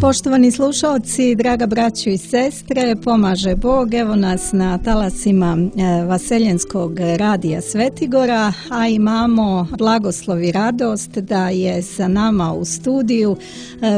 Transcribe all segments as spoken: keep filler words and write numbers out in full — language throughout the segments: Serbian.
Poštovani slušalci, draga braćo i sestre, pomaže Bog, evo nas na talasima Vaseljenskog radija Svetigora, a imamo blagoslov i radost da je sa nama u studiju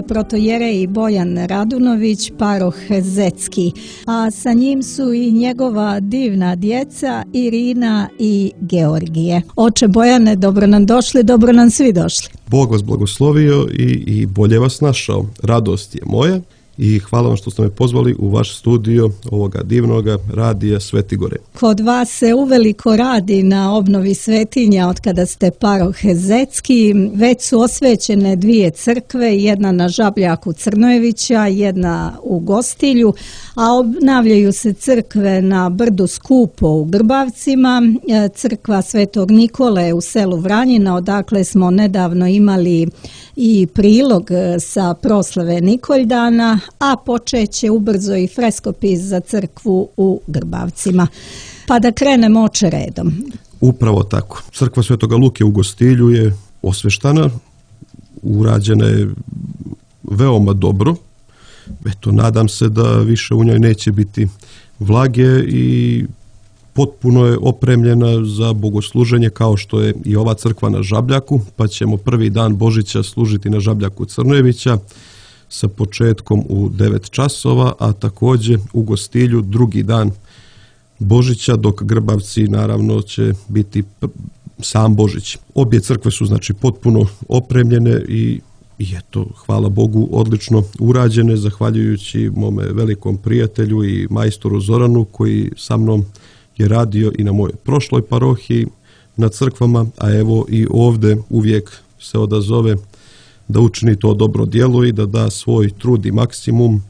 protojerej Bojan Radunović, paroh Zetski, a sa njim su i njegova divna djeca Irina i Georgije. Oče Bojane, dobro nam došli, dobro nam svi došli. Bog vas blagoslovio i, i bolje vas našao. Radost je moja i hvala vam što ste me pozvali u vaš studio ovoga divnoga radija Svetigore. Kod vas se uveliko radi na obnovi svetinja od kada ste paroh Zetski. Već su osvećene dvije crkve, jedna na Žabljaku Crnojevića, jedna u Gostilju, a obnavljaju se crkve na brdu Skupo u Grbavcima, crkva Svetog Nikole u selu Vranjina, odakle smo nedavno imali i prilog sa proslave Nikoldana, a počeće ubrzo i freskopis za crkvu u Grbavcima. Pa da krenemo oče redom. Upravo tako. Crkva Svetoga Luke u Gostilju je osveštana, urađena je veoma dobro. Eto, nadam se da više u njoj neće biti vlage i potpuno je opremljena za bogosluženje kao što je i ova crkva na Žabljaku, pa ćemo prvi dan Božića služiti na Žabljaku Crnojevića sa početkom u devet časova, a također u Gostilju drugi dan Božića, dok Grbavci naravno će biti sam Božić. Obje crkve su znači potpuno opremljene i I eto, hvala Bogu, odlično urađene, zahvaljujući mome velikom prijatelju i majstoru Zoranu koji sa mnom je radio i na mojoj prošloj parohiji na crkvama, a evo i ovdje uvijek se odazove da učini to dobro djelo i da da svoj trud i maksimum,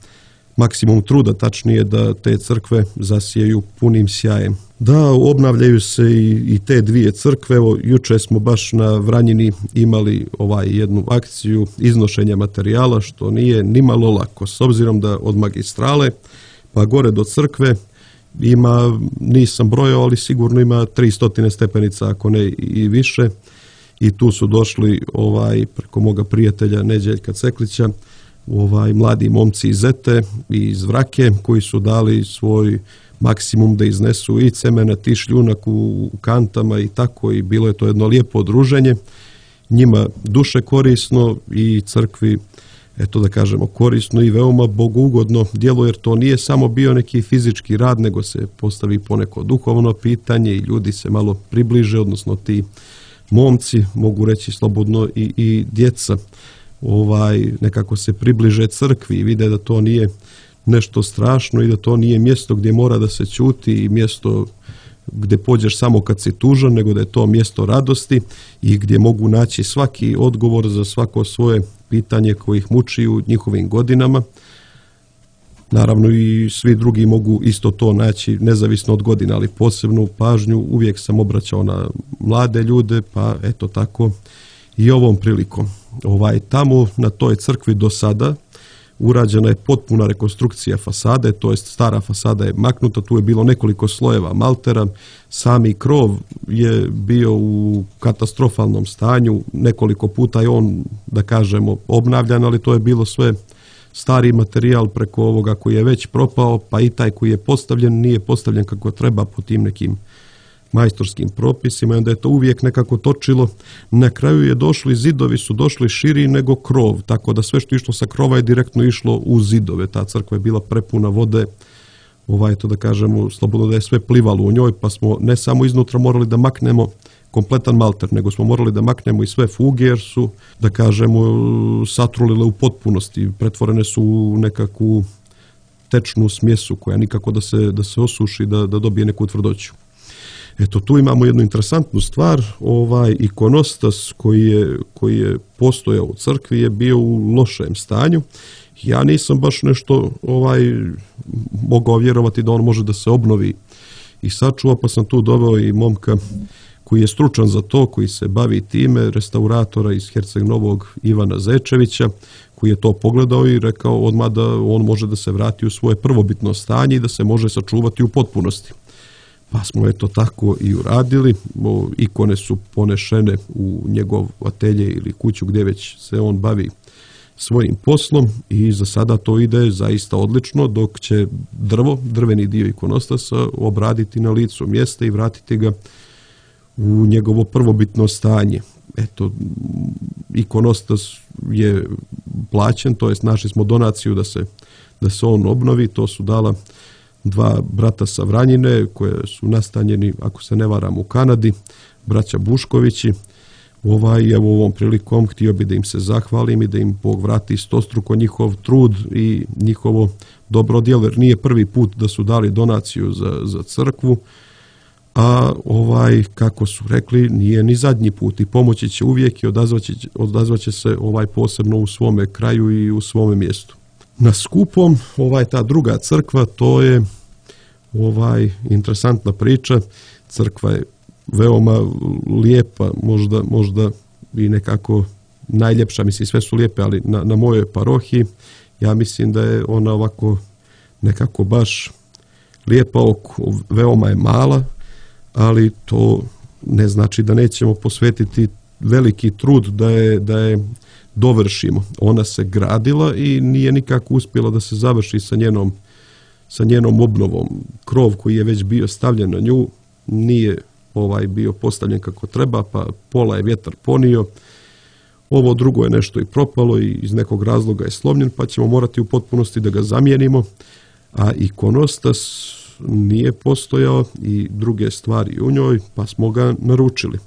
maksimum truda, tačnije da te crkve zasijaju punim sjajem. Da, obnavljaju se i, i te dvije crkve. Evo, juče smo baš na Vranjini imali ovaj jednu akciju iznošenja materijala, što nije nimalo lako, s obzirom da od magistrale pa gore do crkve ima, nisam brojao, ali sigurno ima tristo stepenica, ako ne i više. I tu su došli ovaj preko moga prijatelja Neđeljka Ceklića, ovaj mladi momci iz Zete i iz Vrake koji su dali svoj maksimum da iznesu i cemenat i šljunak u kantama i tako, i bilo je to jedno lijepo druženje. Njima duše korisno i crkvi, eto da kažemo, korisno i veoma bogougodno djelo, jer to nije samo bio neki fizički rad, nego se postavi poneko duhovno pitanje i ljudi se malo približe, odnosno ti momci, mogu reći slobodno i, i djeca, ovaj nekako se približe crkvi i vide da to nije nešto strašno i da to nije mjesto gdje mora da se ćuti i mjesto gdje pođeš samo kad si tužan, nego da je to mjesto radosti i gdje mogu naći svaki odgovor za svako svoje pitanje koje ih muči u njihovim godinama. Naravno i svi drugi mogu isto to naći, nezavisno od godina, ali posebnu pažnju uvijek sam obraćao na mlade ljude, pa eto tako i ovom prilikom. Ovaj, tamo na toj crkvi do sada urađena je potpuna rekonstrukcija fasade, to jest stara fasada je maknuta, tu je bilo nekoliko slojeva maltera, sami krov je bio u katastrofalnom stanju, nekoliko puta je on, da kažemo, obnavljan, ali to je bilo sve stari materijal preko ovoga koji je već propao, pa i taj koji je postavljen nije postavljen kako treba po tim nekim majstorskim propisima i onda je to uvijek nekako točilo. Na kraju je došli, zidovi su došli širi nego krov, tako da sve što išlo sa krova je direktno išlo u zidove. Ta crkva je bila prepuna vode, ovaj, to da kažemo, slobodno da je sve plivalo u njoj, pa smo ne samo iznutra morali da maknemo kompletan malter, nego smo morali da maknemo i sve fuge, jer su, da kažemo, satrulile u potpunosti, pretvorene su u nekakvu tečnu smjesu koja nikako da se, da se osuši, da, da dobije neku tvrdoću. Eto, tu imamo jednu interesantnu stvar, ovaj ikonostas koji je, koji je postojao u crkvi je bio u lošem stanju. Ja nisam baš nešto ovaj mogao vjerovati da on može da se obnovi i sačuva, pa sam tu doveo i momka koji je stručan za to, koji se bavi time, restauratora iz Herceg Novog Ivana Zečevića, koji je to pogledao i rekao odmah da on može da se vrati u svoje prvobitno stanje i da se može sačuvati u potpunosti. pa smo eto tako i uradili. O, ikone su ponešene u njegov atelje ili kuću gdje već se on bavi svojim poslom i za sada to ide zaista odlično, dok će drvo, drveni dio ikonostasa obraditi na licu mjesta i vratiti ga u njegovo prvobitno stanje. Eto, ikonostas je plaćen, to jest našli smo donaciju da se, da se on obnovi, to su dala dva brata sa Vranjine koje su nastanjeni, ako se ne varam, u Kanadi, braća Buškovići. Ovaj, evo ovom prilikom htio bi da im se zahvalim i da im Bog vrati stostruko njihov trud i njihovo dobro djelo, jer nije prvi put da su dali donaciju za, za crkvu, a ovaj, kako su rekli, nije ni zadnji put i pomoći će uvijek i odazvaće, odazvaće se ovaj posebno u svome kraju i u svome mjestu. Na skupom, ovaj, ta druga crkva, to je ovaj interesantna priča. Crkva je veoma lijepa, možda, možda i nekako najljepša, mislim sve su lijepe, ali na, na mojoj parohiji ja mislim da je ona ovako nekako baš lijepa oko, veoma je mala, ali to ne znači da nećemo posvetiti veliki trud da je, da je dovršimo. Ona se gradila i nije nikako uspjela da se završi sa njenom, sa njenom obnovom. Krov koji je već bio stavljen na nju nije ovaj bio postavljen kako treba, pa pola je vjetar ponio. Ovo drugo je nešto i propalo i iz nekog razloga je slomljen, pa ćemo morati u potpunosti da ga zamijenimo. A ikonostas nije postojao i druge stvari u njoj, pa smo ga naručili.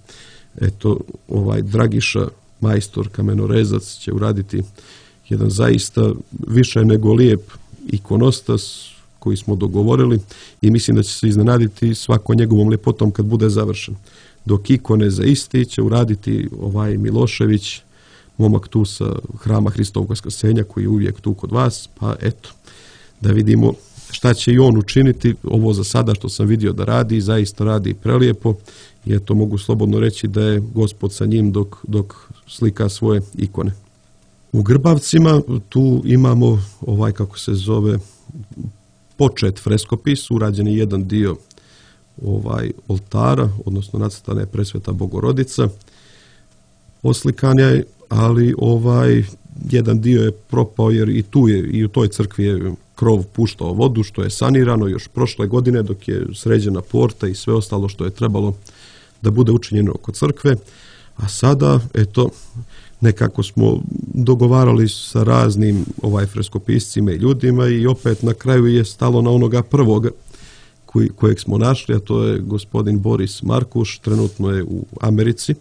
Eto, ovaj Dragiša, majstor kamenorezac, će uraditi jedan zaista više nego lijep ikonostas koji smo dogovorili i mislim da će se iznenaditi svako njegovom ljepotom kad bude završen. Dok ikone za isti će uraditi ovaj Milošević, momak tu sa Hrama Hristovog Vaskrsenja koji je uvijek tu kod vas, pa eto, da vidimo šta će i on učiniti. Ovo za sada što sam vidio da radi, zaista radi prelijepo i eto mogu slobodno reći da je Gospod sa njim dok, dok slika svoje ikone. U Grbavcima tu imamo ovaj, kako se zove, počet freskopis, urađen je jedan dio ovaj oltara, odnosno nacrtana je Presveta Bogorodica, oslikanja je, ali ovaj jedan dio je propao jer i tu je, i u toj crkvi je krov puštao vodu, što je sanirano još prošle godine dok je sređena porta i sve ostalo što je trebalo da bude učinjeno oko crkve. A sada, eto, nekako smo dogovarali sa raznim ovaj freskopiscima i ljudima i opet na kraju je stalo na onoga prvoga koji, kojeg smo našli, a to je gospodin Boris Markuš, trenutno je u Americi,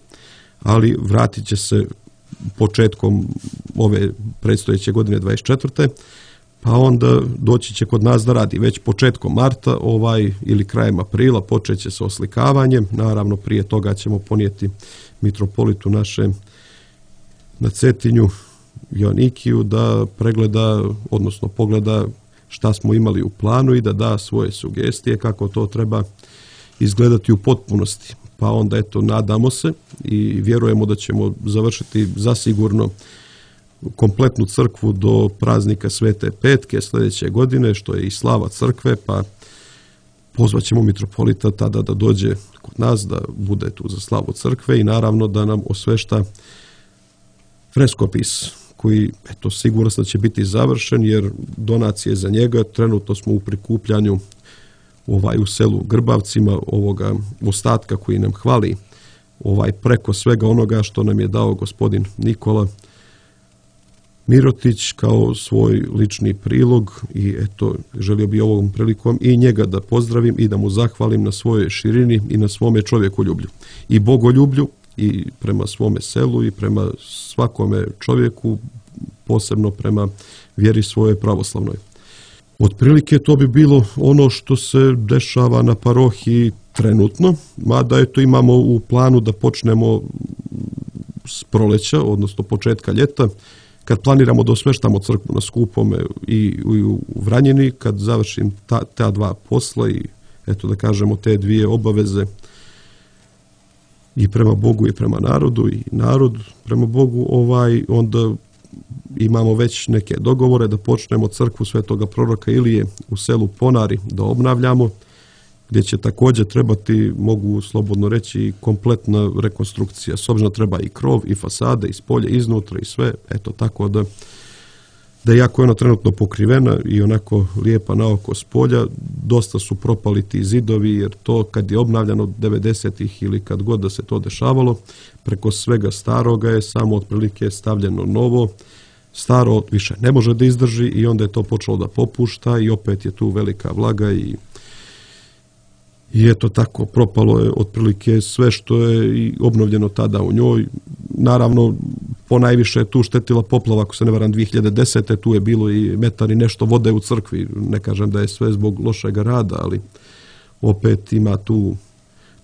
ali vratit će se početkom ove predstojeće godine dvadeset četvrte pa onda doći će kod nas da radi. Već početkom marta ovaj ili krajem aprila počet će se oslikavanje. Naravno prije toga ćemo ponijeti mitropolitu naše na Cetinju Joanikiju da pregleda, odnosno pogleda šta smo imali u planu i da da svoje sugestije kako to treba izgledati u potpunosti. Pa onda eto nadamo se i vjerujemo da ćemo završiti zasigurno kompletnu crkvu do praznika Svete Petke sljedeće godine, što je i slava crkve, pa pozvat ćemo mitropolita tada da dođe kod nas, da bude tu za slavu crkve i naravno da nam osvešta freskopis koji, eto, sigurno da će biti završen jer donacije za njega trenutno smo u prikupljanju ovaj u selu Grbavcima ovoga ostatka koji nam hvali ovaj preko svega onoga što nam je dao gospodin Nikola Mirotić kao svoj lični prilog i eto želio bi ovom prilikom i njega da pozdravim i da mu zahvalim na svojoj širini i na svome čovjekoljublju i bogoljublju i prema svome selu i prema svakome čovjeku, posebno prema vjeri svoje pravoslavnoj. Otprilike to bi bilo ono što se dešava na parohiji trenutno, mada eto imamo u planu da počnemo s proleća, odnosno početka ljeta, kad planiramo da osveštamo crkvu na Skupome i u Vranjini, kad završim ta, ta dva posla i eto da kažemo te dvije obaveze i prema Bogu i prema narodu i narod prema Bogu, ovaj onda imamo već neke dogovore da počnemo crkvu Svetoga proroka Ilije u selu Ponari da obnavljamo gdje će također trebati, mogu slobodno reći, kompletna rekonstrukcija. S obzirom treba i krov, i fasade, i spolje, iznutra, i sve. Eto, tako da, da jako je ona trenutno pokrivena i onako lijepa na oko s polja. Dosta su propali ti zidovi, jer to kad je obnavljano devedesetih ili kad god da se to dešavalo, preko svega staroga je samo otprilike stavljeno novo. Staro više ne može da izdrži i onda je to počelo da popušta i opet je tu velika vlaga i I eto tako, propalo je otprilike sve što je i obnovljeno tada u njoj. Naravno, ponajviše je tu štetila poplava, ako se ne varam, dvije hiljade desete. Tu je bilo i metar i nešto vode u crkvi. Ne kažem da je sve zbog lošeg rada, ali opet ima tu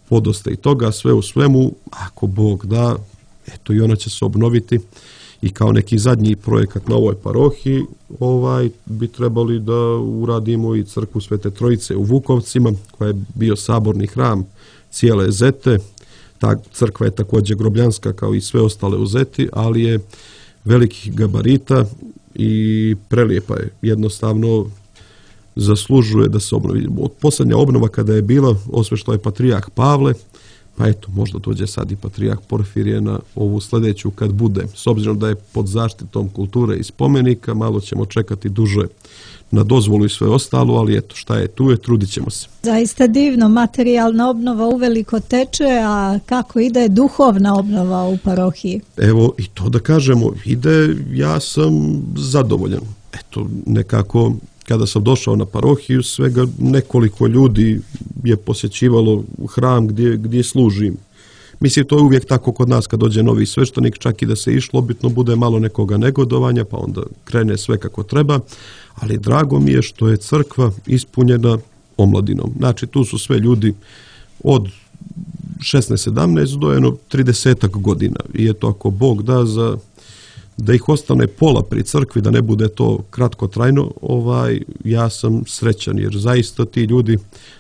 podosta i toga. Sve u svemu, ako Bog da, eto i ona će se obnoviti. I kao neki zadnji projekat na ovoj parohiji ovaj, bi trebali da uradimo i crkvu Svete Trojice u Vukovcima, koja je bio saborni hram cijele Zete. Ta crkva je također grobljanska kao i sve ostale u Zeti, ali je velikih gabarita i prelijepa je. Jednostavno zaslužuje da se obnovi. Posljednja obnova kada je bila, osveštao je patrijarh Pavle, pa eto, možda dođe sad i patrijarh Porfirije na ovu sljedeću kad bude. S obzirom da je pod zaštitom kulture i spomenika, malo ćemo čekati duže na dozvolu i sve ostalo, ali eto, šta je tu je, trudit ćemo se. Zaista divno, materijalna obnova uveliko teče, a kako ide duhovna obnova u parohiji? Evo, i to da kažemo, ide, ja sam zadovoljan. Eto, nekako, kada sam došao na parohiju, svega nekoliko ljudi je posjećivalo hram gdje, gdje služim. Mislim, to je uvijek tako kod nas kad dođe novi sveštenik, čak i da se išlo, bitno bude malo nekoga negodovanja, pa onda krene sve kako treba, ali drago mi je što je crkva ispunjena omladinom. Znači, tu su sve ljudi od šesnaest sedamnaest do jedno tridesetak godina i eto, ako Bog da za da ih ostane pola pri crkvi, da ne bude to kratkotrajno, ovaj, ja sam srećan, jer zaista ti ljudi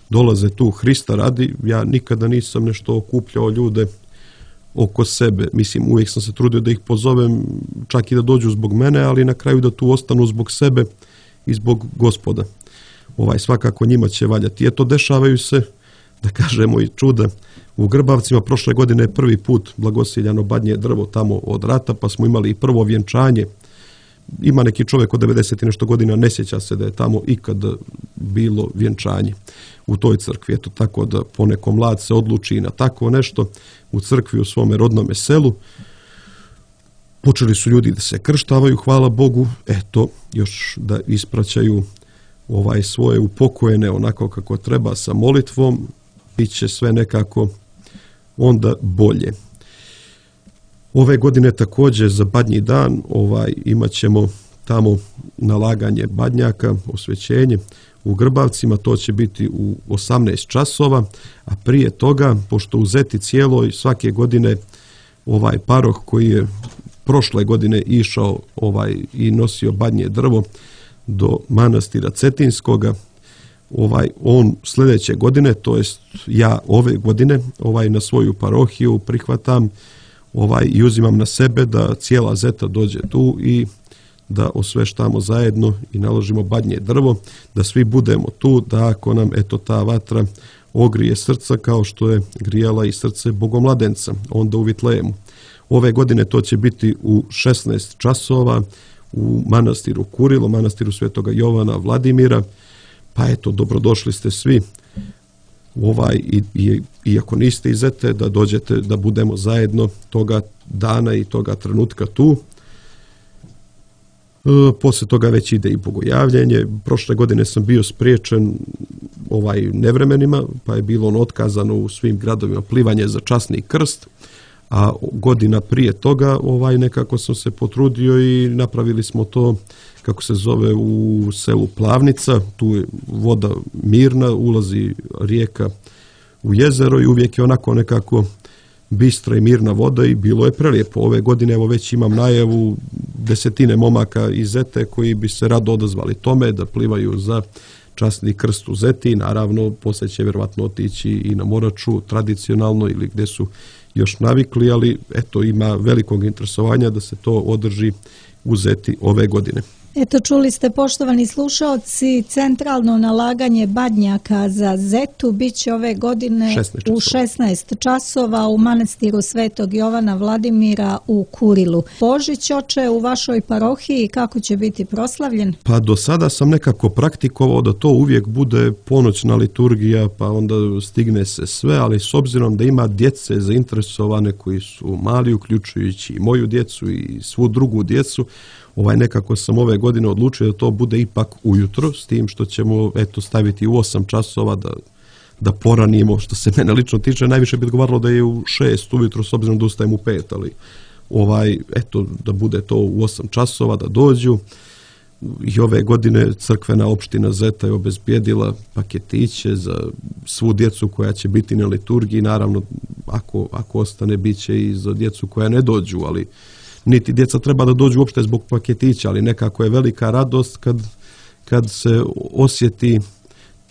dolaze tu Hrista radi. Ja nikada nisam nešto okupljao ljude oko sebe. Mislim, uvijek sam se trudio da ih pozovem, čak i da dođu zbog mene, ali na kraju da tu ostanu zbog sebe i zbog Gospoda. Ovaj, svakako njima će valjati. Eto, dešavaju se, da kažemo, i čuda. U Grbavcima prošle godine je prvi put blagosiljano badnje drvo tamo od rata, pa smo imali i prvo vjenčanje. Ima neki čovjek od devedeset i nešto godina, ne sjeća se da je tamo ikad bilo vjenčanje u toj crkvi. Eto, tako da poneko mlad se odluči na tako nešto u crkvi u svome rodnome selu. Počeli su ljudi da se krštavaju, hvala Bogu, eto, još da ispraćaju ovaj svoje upokojene onako kako treba sa molitvom, bit će sve nekako onda bolje. Ove godine također za badnji dan ovaj, imat ćemo tamo nalaganje badnjaka, osvećenje u Grbavcima, to će biti u osamnaest časova, a prije toga, pošto u Zeti cijeloj svake godine ovaj paroh koji je prošle godine išao ovaj i nosio badnje drvo do manastira Cetinskoga, ovaj on sljedeće godine, to jest ja ove godine, ovaj na svoju parohiju prihvatam ovaj i uzimam na sebe da cijela Zeta dođe tu i da osveštamo zajedno i naložimo badnje drvo, da svi budemo tu, da ako nam eto ta vatra ogrije srca kao što je grijala i srce Bogomladenca onda u Vitlejemu. Ove godine to će biti u šesnaest časova u manastiru Kurilo, manastiru Svetoga Jovana Vladimira. Pa eto, dobrodošli ste svi ovaj, i, i, i ako niste iz Zete, da dođete da budemo zajedno toga dana i toga trenutka tu. E, poslije toga već ide i bogojavljenje. Prošle godine sam bio spriječen ovaj, nevremenima, pa je bilo ono otkazano u svim gradovima plivanje za časni krst, a godina prije toga ovaj, nekako sam se potrudio i napravili smo to kako se zove u selu Plavnica, tu je voda mirna, ulazi rijeka u jezero i uvijek je onako nekako bistra i mirna voda i bilo je prelijepo. Ove godine evo već imam najavu desetine momaka iz Zete koji bi se rado odazvali tome da plivaju za časni krst u Zeti. Naravno, poslije će vjerovatno otići i na Moraču tradicionalno ili gdje su još navikli, ali eto ima velikog interesovanja da se to održi u Zeti ove godine. Eto, čuli ste, poštovani slušaoci, centralno nalaganje badnjaka za zetu bit će ove godine u šesnaest časova u manastiru Svetog Jovana Vladimira u Kurilu. Božić, oče, u vašoj parohiji kako će biti proslavljen? Pa do sada sam nekako praktikovao da to uvijek bude ponoćna liturgija, pa onda stigne se sve, ali s obzirom da ima djece zainteresovane koji su mali, uključujući i moju djecu i svu drugu djecu, Ovaj, nekako sam ove godine odlučio da to bude ipak ujutro, s tim što ćemo eto, staviti u osam časova da, da poranimo, što se mene lično tiče. Najviše bi odgovaralo da je u šest ujutro, s obzirom da ustajem u pet, ali ovaj, eto, da bude to u osam časova, da dođu. I ove godine crkvena opština Zeta je obezbijedila paketiće za svu djecu koja će biti na liturgiji. Naravno, ako, ako ostane, bit će i za djecu koja ne dođu, ali niti djeca treba da dođu uopšte zbog paketića, ali nekako je velika radost kad, kad se osjeti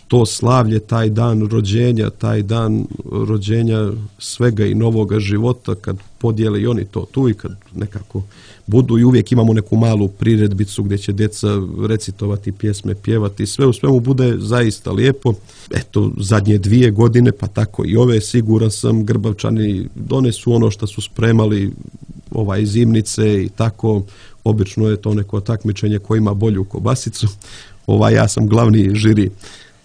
to slavlje, taj dan rođenja, taj dan rođenja svega i novoga života, kad podijele i oni to tu i kad nekako budu, i uvijek imamo neku malu priredbicu gdje će djeca recitovati pjesme, pjevati, sve u svemu bude zaista lijepo. Eto, zadnje dvije godine, pa tako i ove, siguran sam, Grbavčani donesu ono što su spremali, ovaj, zimnice i tako. Obično je to neko takmičenje ko ima bolju kobasicu. Ovaj, ja sam glavni žiri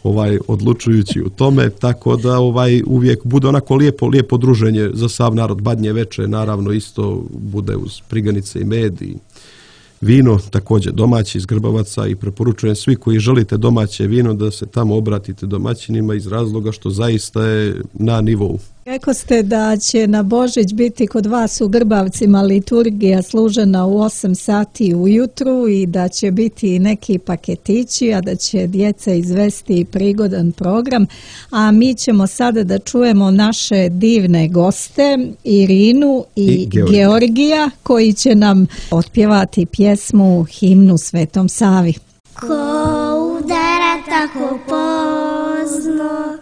ovaj odlučujući u tome, tako da ovaj uvijek bude onako lijepo lijepo druženje za sav narod. Badnje veče naravno isto bude uz priganice i med i vino, također domaći iz Grbavaca, i preporučujem svi koji želite domaće vino da se tamo obratite domaćinima iz razloga što zaista je na nivou. Rekao ste da će na Božić biti kod vas u Grbavcima liturgija služena u osam sati ujutru i da će biti neki paketići, a da će djeca izvesti prigodan program. A mi ćemo sada da čujemo naše divne goste, Irinu i, I Georgija. Georgija, koji će nam otpjevati pjesmu Himnu Svetom Savi. Ko udara tako pozno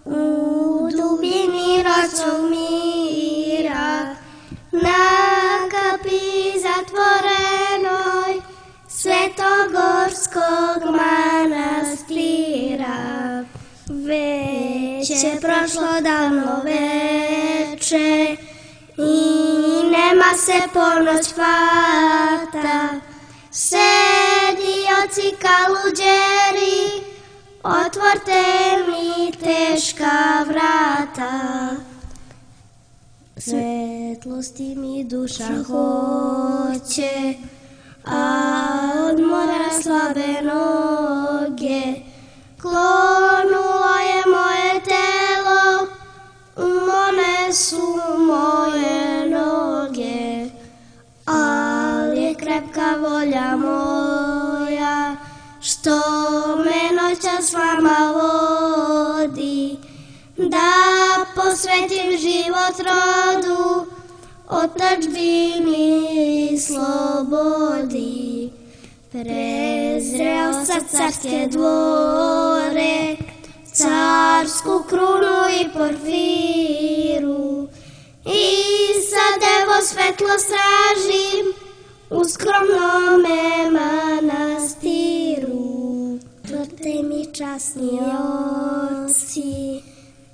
u dubini ročnog mira, na kapi zatvorenoj Svetogorskog manastira. Već je prošlo davno veče i nema se ponoć fata. Sedioci kaluđeri, otvorte mi teška vrata. Svetlosti mi duša hoće, a od mora slabe noge. Klonulo je moje telo, umorne su moje noge, ali je krepka volja moja, što me noća s vama vodi, da posvetim život rodu, otadžbini i slobodi. Prezreo sa carske dvore, carsku krunu i porfiru, i sa devo svetlo stražim u skromnome manastiru. Otvorte mi, časni oci,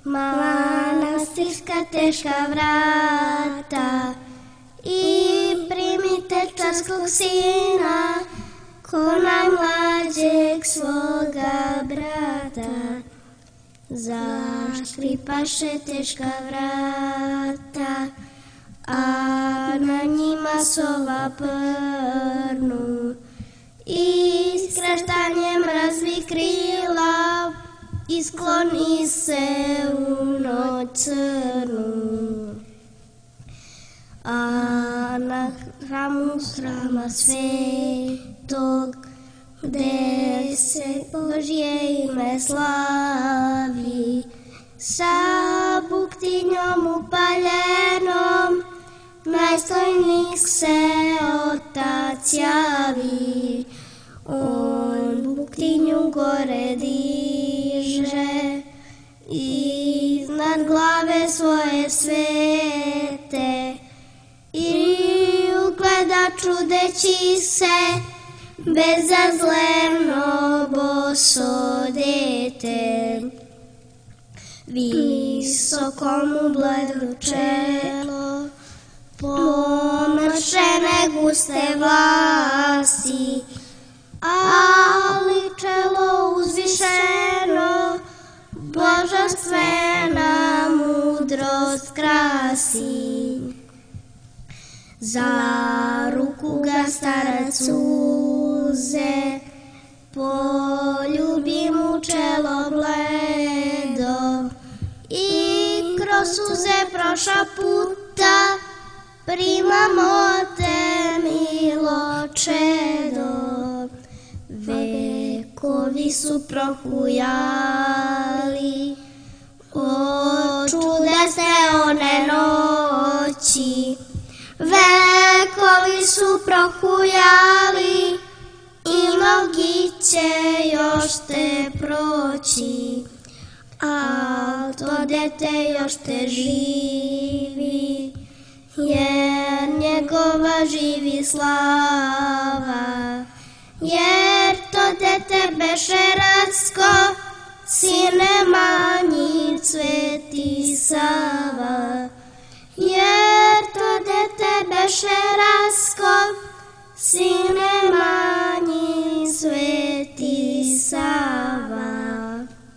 manastirska teška vrata, i primite carskog sina ko najmlađeg svoga brata. Zaškripaše teška vrata, a na njima sova prnu, i skretanjem razvi krila i skloni se u noć crnu. A na hramu hrama svetog, gde se Božje ime slavi, sa buktinjom upaljenom najstojnik se otac javi. On buktinju gore diže iznad glave svoje svete, i ugleda čudeći se bezazleno boso dete. Visokomu bledo čelo, pomršene guste vlasti, ali čelo uzvišeno, božanstvena mudrost krasi. Za ruku ga starac uze, poljubi mu čelo bledo i kroz suze proša puta, primamo te milo čedo. Vekovi su prohujali, očudesne one noći. Vekovi su prohujali i mnogi će još te proći, al to dete još te živi, jer njegova živi slava. Jer to dete beše Racko, sine manji Sveti Sava. Jer to dete beše Racko, sine manji Sveti Sava.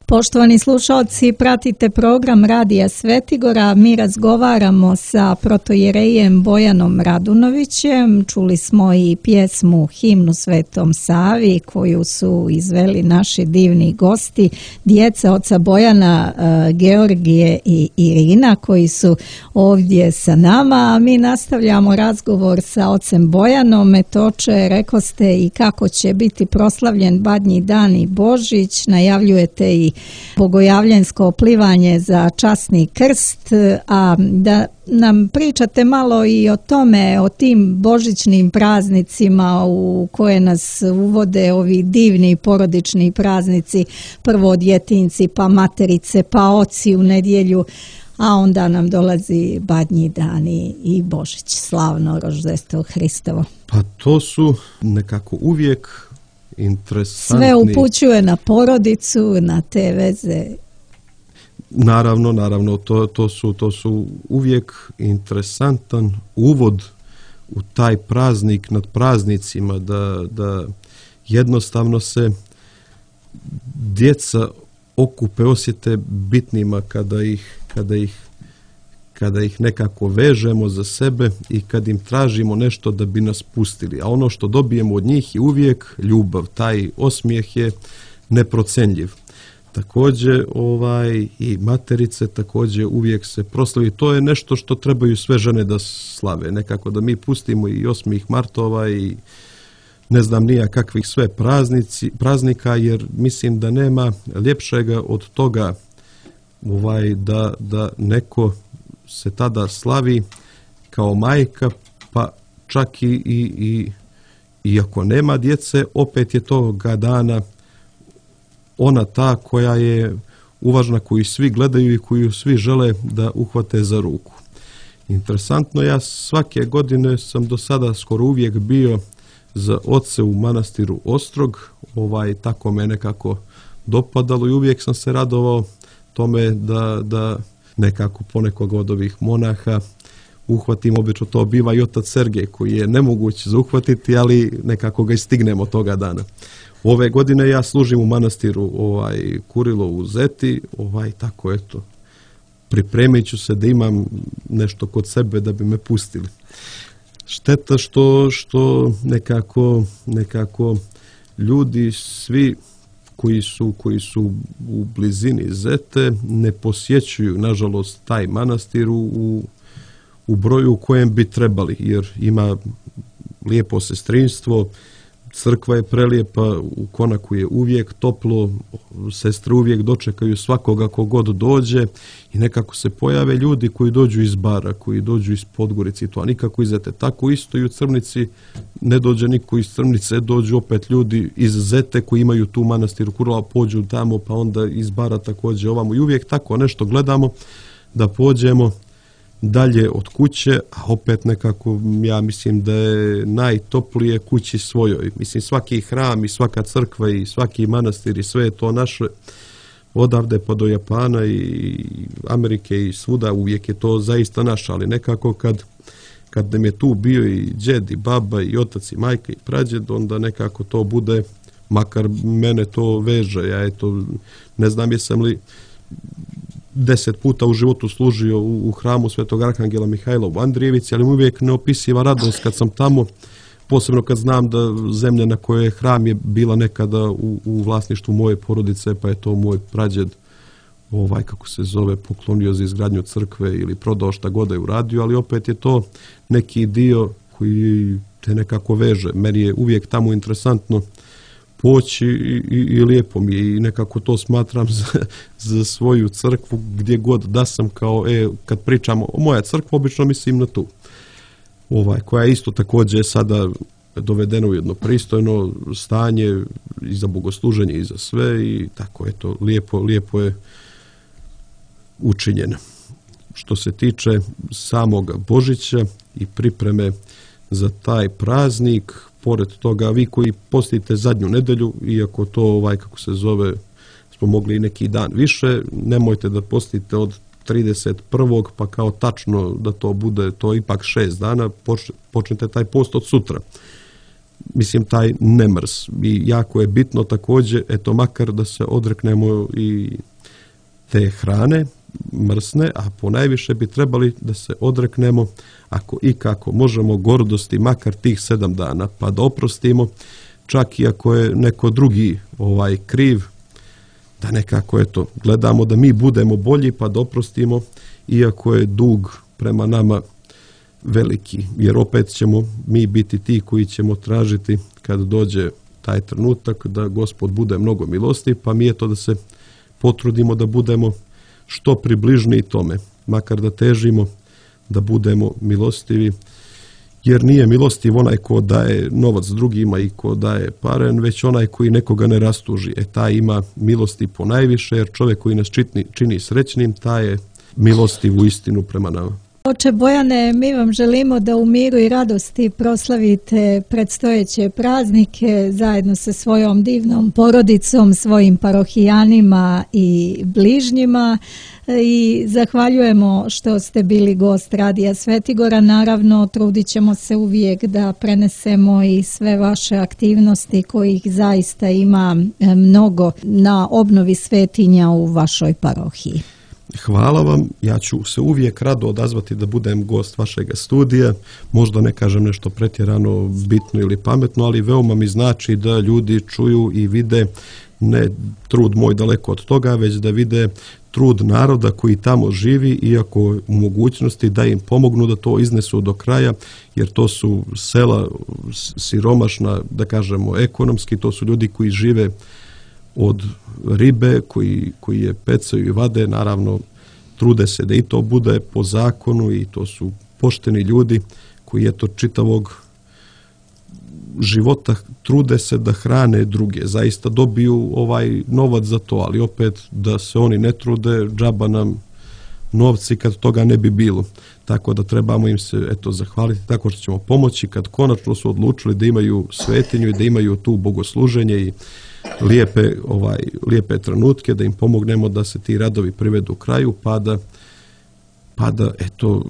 Poštovani slušalci, pratite program Radija Svetigora. Mi razgovaramo sa protojerejem Bojanom Radunovićem. Čuli smo i pjesmu Himnu Svetom Savi koju su izveli naši divni gosti, djeca oca Bojana, Georgije i Irina, koji su ovdje sa nama. A mi nastavljamo razgovor sa ocem Bojanom. Etoče, rekoste i kako će biti proslavljen Badnji dan i Božić. Najavljujete i bogojavljensko plivanje za časni krst, a da nam pričate malo i o tome, o tim božićnim praznicima u koje nas uvode ovi divni porodični praznici, prvo djetinci, pa materice, pa oci u nedjelju, a onda nam dolazi Badnji dan i Božić, slavno Roždestvo Hristovo. Pa to su nekako uvijek interesantni. Sve upućuje na porodicu, na te veze. Naravno, naravno, to, to, su, to su uvijek interesantan uvod u taj praznik nad praznicima, da, da jednostavno se djeca okupe, osjete bitnima kada ih, kada ih, kada ih nekako vežemo za sebe i kad im tražimo nešto da bi nas pustili. A ono što dobijemo od njih je uvijek ljubav. Taj osmijeh je neprocenljiv. Također ovaj, i materice također uvijek se proslavi. To je nešto što trebaju sve žene da slave. Nekako da mi pustimo i osmih martova i ne znam nija kakvih sve praznici, praznika, jer mislim da nema ljepšega od toga ovaj, da, da neko se tada slavi kao majka, pa čak i, i, i iako nema djece, opet je toga dana ona ta koja je uvažna, koju svi gledaju i koju svi žele da uhvate za ruku. Interesantno, ja svake godine sam do sada skoro uvijek bio za oce u manastiru Ostrog, ovaj, tako me nekako dopadalo i uvijek sam se radovao tome da, da nekako ponekog od ovih monaha uhvatim. Obično to biva i otac Sergej, koji je nemoguć za uhvatiti, ali nekako ga i stignemo toga dana. Ove godine ja služim u manastiru ovaj, Kurilo u Zeti, ovaj, tako eto, pripremit ću se da imam nešto kod sebe da bi me pustili. Šteta što, što nekako, nekako ljudi svi koji su, koji su u blizini Zete ne posjećuju, nažalost, taj manastir u, u broju u kojem bi trebali, jer ima lijepo sestrinstvo, crkva je prelijepa, u konaku je uvijek toplo, sestre uvijek dočekaju svakoga kogod dođe i nekako se pojave ljudi koji dođu iz Bara, koji dođu iz Podgorice i to, a nikako iz Zete. Tako isto i u Crnici ne dođe niko iz Crnice, dođu opet ljudi iz Zete koji imaju tu manastiru Kurila, pođu tamo, pa onda iz Bara također ovamo i uvijek tako nešto gledamo da pođemo dalje od kuće, a opet nekako ja mislim da je najtoplije kući svojoj. Mislim, svaki hram i svaka crkva i svaki manastir i sve je to naše, odavde pa do Japana i Amerike i svuda, uvijek je to zaista naše, ali nekako kad, kad nam je tu bio i džed i baba i otac i majka i prađed, onda nekako to bude, makar mene to veže, ja eto, ne znam jesam li deset puta u životu služio u, u hramu Svetog Arhangela Mihajla u Andrijevici, ali uvijek neopisiva radost kad sam tamo, posebno kad znam da zemlja na kojoj je hram je bila nekada u, u vlasništvu moje porodice, pa je to moj prađed, ovaj, kako se zove, poklonio za izgradnju crkve ili prodao šta god je uradio, ali opet je to neki dio koji te nekako veže. Meni je uvijek tamo interesantno poći i, i, i lijepo mi je i nekako to smatram za, za svoju crkvu gdje god da sam, kao, e, kad pričamo o moja crkva, obično mislim na tu. Ovaj, koja isto također je sada dovedena u jedno pristojno stanje i za bogosluženje i za sve i tako, eto, lijepo, lijepo je učinjeno. Što se tiče samoga Božića i pripreme za taj praznik, pored toga, vi koji postite zadnju nedelju, iako to, ovaj, kako se zove, smo mogli i neki dan više, nemojte da postite od trideset prvog pa kao tačno da to bude, to ipak šest dana, počnete taj post od sutra. Mislim, taj nemrs. I jako je bitno također, eto, makar da se odreknemo i te hrane mrsne, a ponajviše bi trebali da se odreknemo, ako i kako možemo, gordosti makar tih sedam dana, pa da oprostimo, čak i ako je neko drugi ovaj kriv, da nekako, eto, gledamo da mi budemo bolji, pa da oprostimo, iako je dug prema nama veliki, jer opet ćemo mi biti ti koji ćemo tražiti kad dođe taj trenutak da Gospod bude mnogo milosti, pa mi je to da se potrudimo da budemo što približniji tome, makar da težimo da budemo milostivi, jer nije milostiv onaj ko daje novac drugima i ko daje paren, već onaj koji nekoga ne rastuži. E, taj ima milosti ponajviše, jer čovjek koji nas čini, čini srećnim, taj je milostiv u istinu prema nama. Oče Bojane, mi vam želimo da u miru i radosti proslavite predstojeće praznike zajedno sa svojom divnom porodicom, svojim parohijanima i bližnjima i zahvaljujemo što ste bili gost Radija Svetigora. Naravno, trudit ćemo se uvijek da prenesemo i sve vaše aktivnosti kojih zaista ima mnogo na obnovi svetinja u vašoj parohiji. Hvala vam, ja ću se uvijek rado odazvati da budem gost vašega studija, možda ne kažem nešto pretjerano bitno ili pametno, ali veoma mi znači da ljudi čuju i vide ne trud moj daleko od toga, već da vide trud naroda koji tamo živi, iako u mogućnosti da im pomognu da to iznesu do kraja, jer to su sela siromašna, da kažemo ekonomski, to su ljudi koji žive od ribe, koji, koji je pecaju i vade, naravno trude se da i to bude po zakonu i to su pošteni ljudi koji eto čitavog života trude se da hrane druge, zaista dobiju ovaj novac za to, ali opet da se oni ne trude, džaba nam novci kad toga ne bi bilo. Tako da trebamo im se eto zahvaliti tako što ćemo pomoći kad konačno su odlučili da imaju svetinju i da imaju tu bogosluženje i lijepe, ovaj, lijepe trenutke, da im pomognemo da se ti radovi privedu kraju, pa da, pa da eto,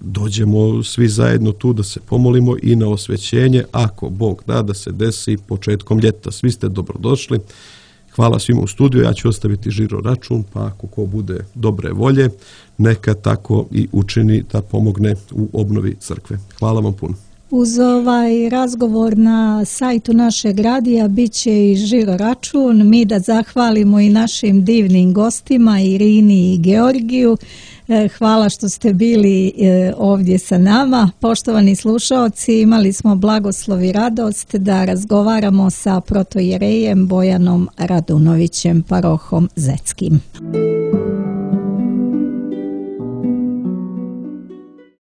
dođemo svi zajedno tu da se pomolimo i na osvećenje, ako Bog da, da se desi početkom ljeta. Svi ste dobrodošli. Hvala svima u studiju, ja ću ostaviti žiro račun, pa ako ko bude dobre volje, neka tako i učini da pomogne u obnovi crkve. Hvala vam puno. Uz ovaj razgovor na sajtu našeg radija bit će i žiro račun. Mi da zahvalimo i našim divnim gostima Irini i Georgiju. Hvala što ste bili ovdje sa nama. Poštovani slušaoci, imali smo blagoslov i radost da razgovaramo sa protojerejem Bojanom Radunovićem, parohom Zetskim.